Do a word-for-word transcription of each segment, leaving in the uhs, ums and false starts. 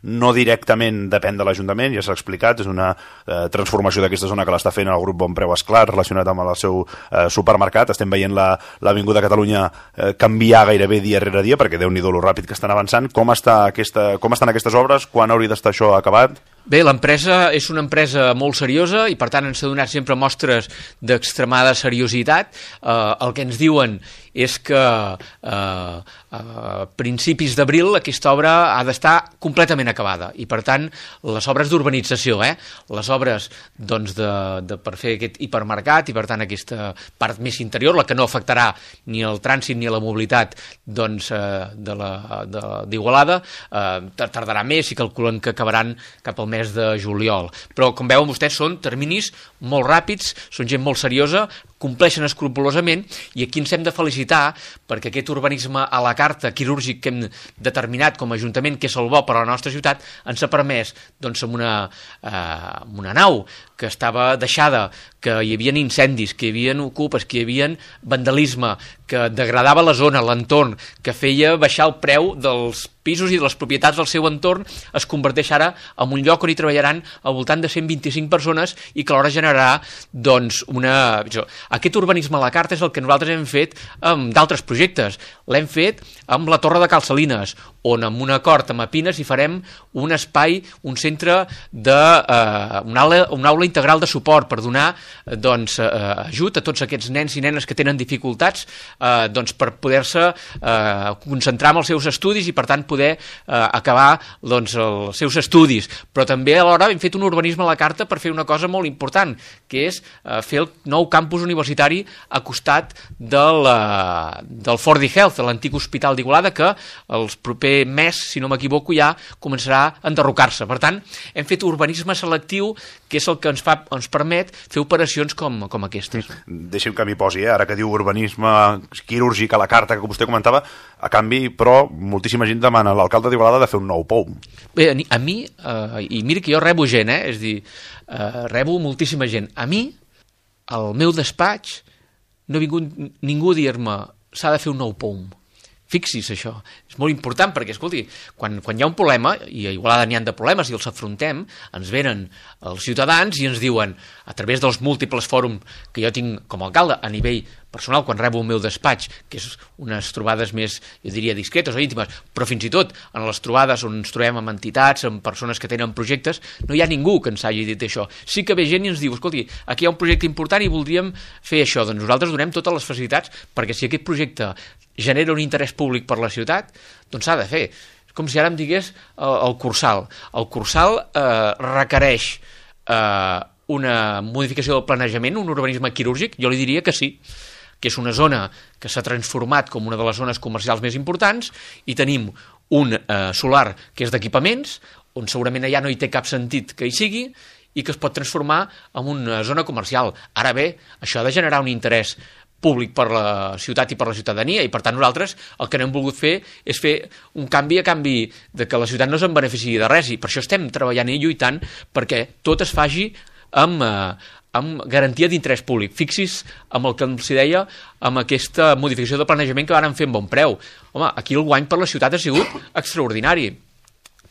no directament depèn de l'Ajuntament, ja s'ha explicat, és una eh, transformació d'aquesta zona que l'està fent el grup Bon Preu Esclar relacionat amb el seu eh, supermercat. Estem veient l'Avinguda Catalunya eh, canviar gairebé dia rere dia, perquè Déu-n'hi-do lo ràpid que estan avançant. Com, està aquesta, com estan aquestes obres? Quan hauria d'estar això acabat? Bé, l'empresa és una empresa molt seriosa i per tant ens ha donat sempre mostres d'extremada seriositat. Eh, el que ens diuen és que eh, a principis d'abril aquesta obra ha d'estar completament acabada i per tant les obres d'urbanització, eh? les obres doncs, de, de, per fer aquest hipermercat i per tant aquesta part més interior, la que no afectarà ni el trànsit ni la mobilitat doncs, eh, d'Igualada, eh, tardarà més i calculen que acabaran cap al mes de juliol. Però com veuen vostès són terminis molt ràpids, són gent molt seriosa, compleixen escrupolosament i aquí ens hem de felicitar perquè aquest urbanisme a la carta quirúrgic que hem determinat com a Ajuntament, que és el bo per a la nostra ciutat, ens ha permès doncs, amb, una, eh, amb una nau que estava deixada, que hi havia incendis, que hi havia ocupes, que hi havia vandalisme, que degradava la zona, l'entorn, que feia baixar el preu dels pisos i de les propietats del seu entorn, es converteix ara en un lloc on hi treballaran al voltant de cent vint-i-cinc persones i que alhora generarà doncs, una... Aquest urbanisme a la carta és el que nosaltres hem fet amb d'altres projectes. L'hem fet amb la Torre de Cal Salines, on amb un acord amb Apines hi farem un espai, un centre de... Eh, una, aula, una aula integral de suport per donar doncs, eh, ajut a tots aquests nens i nenes que tenen dificultats eh, doncs, per poder-se eh, concentrar en els seus estudis i per tant poder eh, acabar doncs, els seus estudis. Però també alhora hem fet un urbanisme a la carta per fer una cosa molt important, que és eh, fer el nou campus universitari a costat del, uh, del Fordy Health, de l'antic hospital d'Igualada, que el proper mes, si no m'equivoco, ja començarà a enderrocar-se. Per tant, hem fet urbanisme selectiu, que és el que ens, fa, ens permet fer operacions com, com aquestes. Deixem que m'hi posi, eh? Ara que diu urbanisme quirúrgic a la carta, que vostè comentava, a canvi, però, moltíssima gent demana a l'alcalde d'Igualada de fer un nou pou. Bé, a mi, uh, i mira que jo rebo gent, eh? És a dir, uh, rebo moltíssima gent. A mi, al meu despatx, no ha vingut ningú a dir-me s'ha de fer un nou POUM. Fixi's això, és molt important perquè, escolti, quan, quan hi ha un problema, i a Igualada n'hi ha de problemes i els afrontem, ens venen els ciutadans i ens diuen, a través dels múltiples fòrums que jo tinc com a alcalde, a nivell personal, quan rebo el meu despatx, que és unes trobades més, jo diria, discretes o íntimes, però fins i tot en les trobades on ens trobem amb entitats, amb persones que tenen projectes, no hi ha ningú que ens hagi dit això. Sí que ve gent i ens diu, escolti, aquí hi ha un projecte important i voldríem fer això. Doncs nosaltres donem totes les facilitats perquè si aquest projecte genera un interès públic per la ciutat, doncs s'ha de fer. És com si ara em digués el, el Cursal. El Cursal eh, requereix eh, una modificació del planejament, un urbanisme quirúrgic? Jo li diria que sí, que és una zona que s'ha transformat com una de les zones comercials més importants i tenim un eh, solar que és d'equipaments, on segurament allà no hi té cap sentit que hi sigui i que es pot transformar en una zona comercial. Ara bé, això ha de generar un interès públic per la ciutat i per la ciutadania i per tant nosaltres el que no hem volgut fer és fer un canvi a canvi de que la ciutat no se'n beneficiï de res i per això estem treballant i lluitant perquè tot es faci amb, eh, amb garantia d'interès públic. Fixi's amb el que els deia amb aquesta modificació de planejament que van fer amb Bon Preu. Home, aquí el guany per la ciutat ha sigut extraordinari.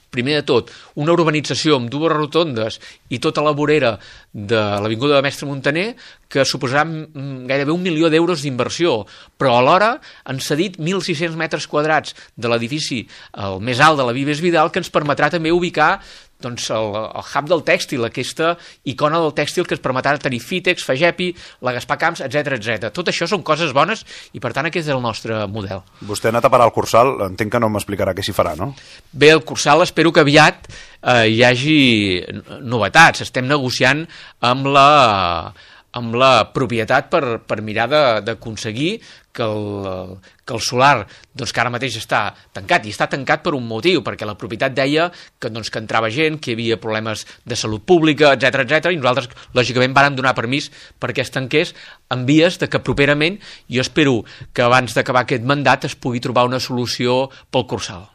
Primer de tot, una urbanització amb dues rotondes i tota la vorera de l'Avinguda de Mestre Montaner que suposarà gairebé un milió d'euros d'inversió, però alhora han cedit mil sis-cents metres quadrats de l'edifici el més alt de la Vives Vidal que ens permetrà també ubicar doncs, el, el hub del tèxtil, aquesta icona del tèxtil que ens permetrà tenir Fitex, Fagepi, la Gaspar Camps, etcètera etcètera. Tot això són coses bones i per tant aquest és el nostre model. Vostè ha anat a parar al Cursal, entenc que no m'explicarà què s'hi farà, no? Bé, el Cursal espero que aviat eh, hi hagi novetats. Estem negociant amb la... amb la propietat per, per mirar d'aconseguir que el, que el solar, doncs, que ara mateix està tancat, i està tancat per un motiu, perquè la propietat deia que, doncs, que entrava gent, que hi havia problemes de salut pública, etcètera etcètera i nosaltres, lògicament, vàrem donar permís perquè es tanqués en vies de que properament, jo espero que abans d'acabar aquest mandat es pugui trobar una solució pel Cursal.